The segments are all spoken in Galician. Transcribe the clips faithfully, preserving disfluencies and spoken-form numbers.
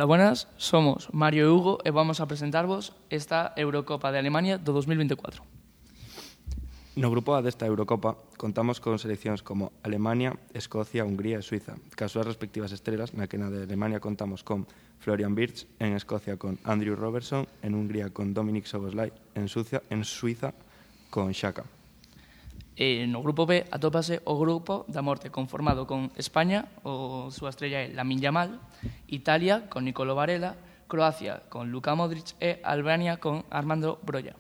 Ola, buenas, somos Mario e Hugo e vamos a presentarvos esta Eurocopa de Alemania do dos mil vinte e catro. No grupo A desta Eurocopa contamos con seleccións como Alemania, Escocia, Hungría e Suiza, cas súas respectivas estrelas, na que na de Alemania contamos con Florian Wirtz, en Escocia con Andrew Robertson, en Hungría con Dominik Szoboszlai, en Suiza, en Suiza con Xhaka. E no grupo B atópase o grupo da morte conformado con España, o súa estrella é Lamine Yamal, Italia con Nicolo Varela, Croacia con Luka Modric e Albania con Armando Broja.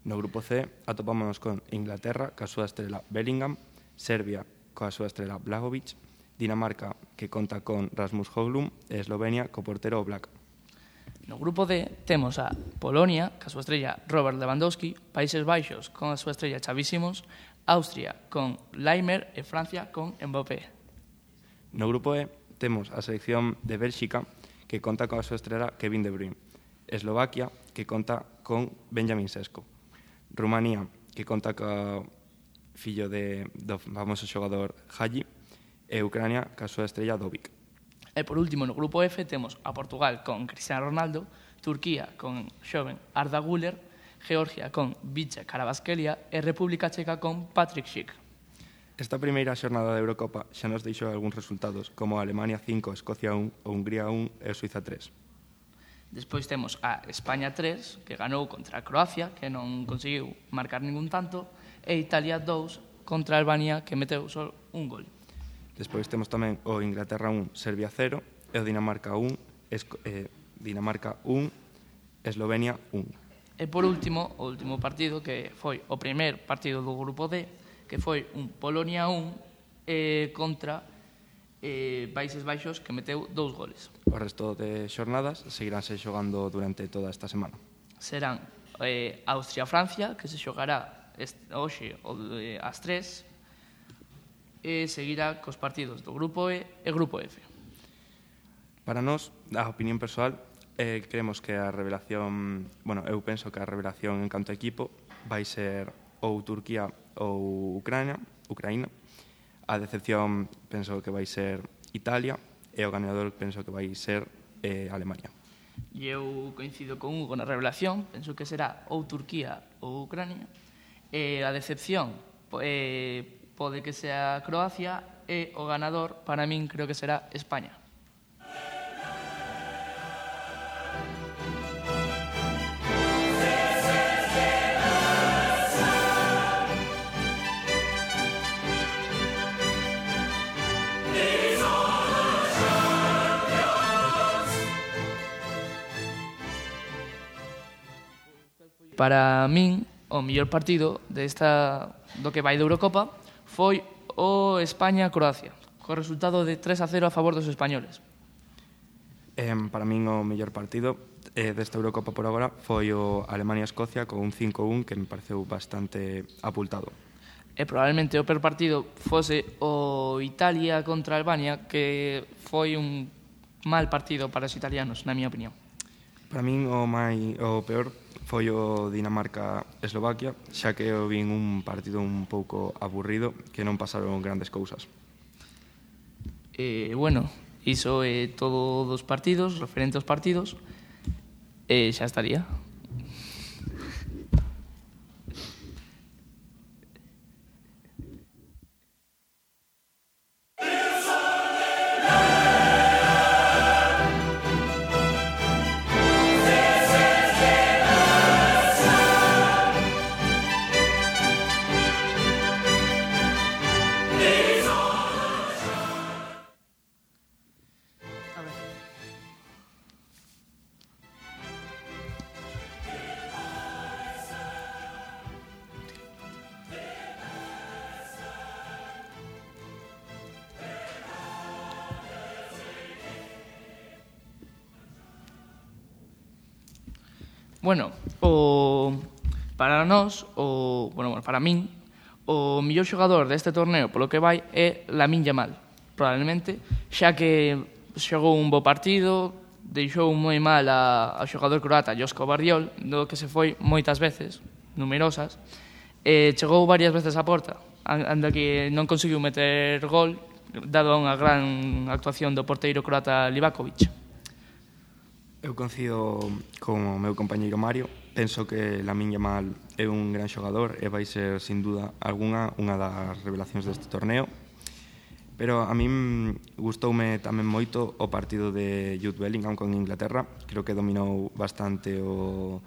No grupo C atopámonos con Inglaterra, ca súa estrela Bellingham, Serbia, coa súa estrela Blagovic, Dinamarca, que conta con Rasmus Højlund, e Eslovenia, co portero Oblak. No grupo D temos a Polonia, ca súa estrella Robert Lewandowski, Países Baixos con a súa estrella Xavi Simons, Austria con Laimer e Francia con Mbappé. No grupo E temos a selección de Bélxica, que conta coa súa estrela Kevin De Bruyne, Eslovaquia, que conta con Benjamin Sesko, Rumanía, que conta co fillo de, do famoso xogador Hagi, e Ucrania, ca súa estrella Dovic. E por último, no grupo F temos a Portugal con Cristiano Ronaldo, Turquía con xoven Arda Güler, Georgia con Vice Carabasquelia e República Checa con Patrick Schick. Esta primeira xornada da Eurocopa xa nos deixou algúns resultados, como Alemania cinco, Escocia un, o Hungría un e Suiza tres. Despois temos a España tres, que ganou contra a Croacia, que non conseguiu marcar ningún tanto, e Italia dous contra a Albania, que meteu só un gol. Despois temos tamén o Inglaterra un, Serbia cero, e o Dinamarca un, Esco eh, Dinamarca un, Eslovenia un. E por último, o último partido, que foi o primer partido do grupo D, que foi un Polonia un eh, contra eh, Países Baixos, que meteu dous goles. O resto de xornadas seguiránse xogando durante toda esta semana. Serán eh, Austria-Francia, que se xogará hoxe eh, ás tres, e seguirá cos partidos do grupo E e grupo F. Para nós, a opinión persoal, Eh, creemos que a revelación, bueno, eu penso que a revelación en canto a equipo vai ser ou Turquía ou Ucrania, Ucraína. A decepción penso que vai ser Italia e o ganador penso que vai ser eh, Alemania. E eu coincido con Hugo na revelación, penso que será ou Turquía ou Ucrania. E a decepción eh, pode que sea Croacia e o ganador, para min, creo que será España. Para min, o mellor partido desta, do que vai de Eurocopa foi o España-Croacia, co resultado de tres a cero a favor dos españoles. Eh, para min o mellor partido eh, desta Eurocopa por agora foi o Alemania-Escocia con un cinco un que me pareceu bastante apultado. E probablemente o peor partido fose o Italia contra Albania, que foi un mal partido para os italianos, na miña opinión. Para min o, mai, o peor foi o Dinamarca-Eslovaquia, xa que eu vin un partido un pouco aburrido, que non pasaron grandes cousas. E, bueno, iso é todo dos partidos, referente aos partidos, e xa estaría. Bueno, o, para nós, o, bueno, para min, o mellor xogador deste torneo polo que vai é Lamine Yamal, probablemente, xa que xogou un bo partido, deixou moi mal a, ao xogador croata Josko Vardiol, do que se foi moitas veces, numerosas, e chegou varias veces á porta, anda que non conseguiu meter gol, dado a unha gran actuación do porteiro croata Livakovic. Eu coincido con o meu compañeiro Mario. Penso que Lamine Yamal é un gran xogador e vai ser, sin duda alguna, unha das revelacións deste torneo. Pero a min gustoume tamén moito o partido de Jude Bellingham con Inglaterra. Creo que dominou bastante o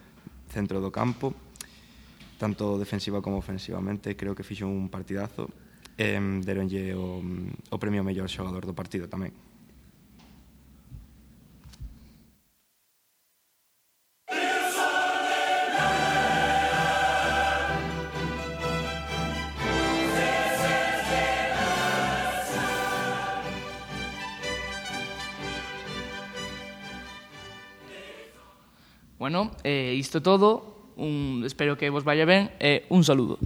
centro do campo, tanto defensiva como ofensivamente. Creo que fixo un partidazo e deronlle o, o premio ao mellor xogador do partido tamén. Bueno, eh, isto todo, un, espero que vos vaya ben e un saludo.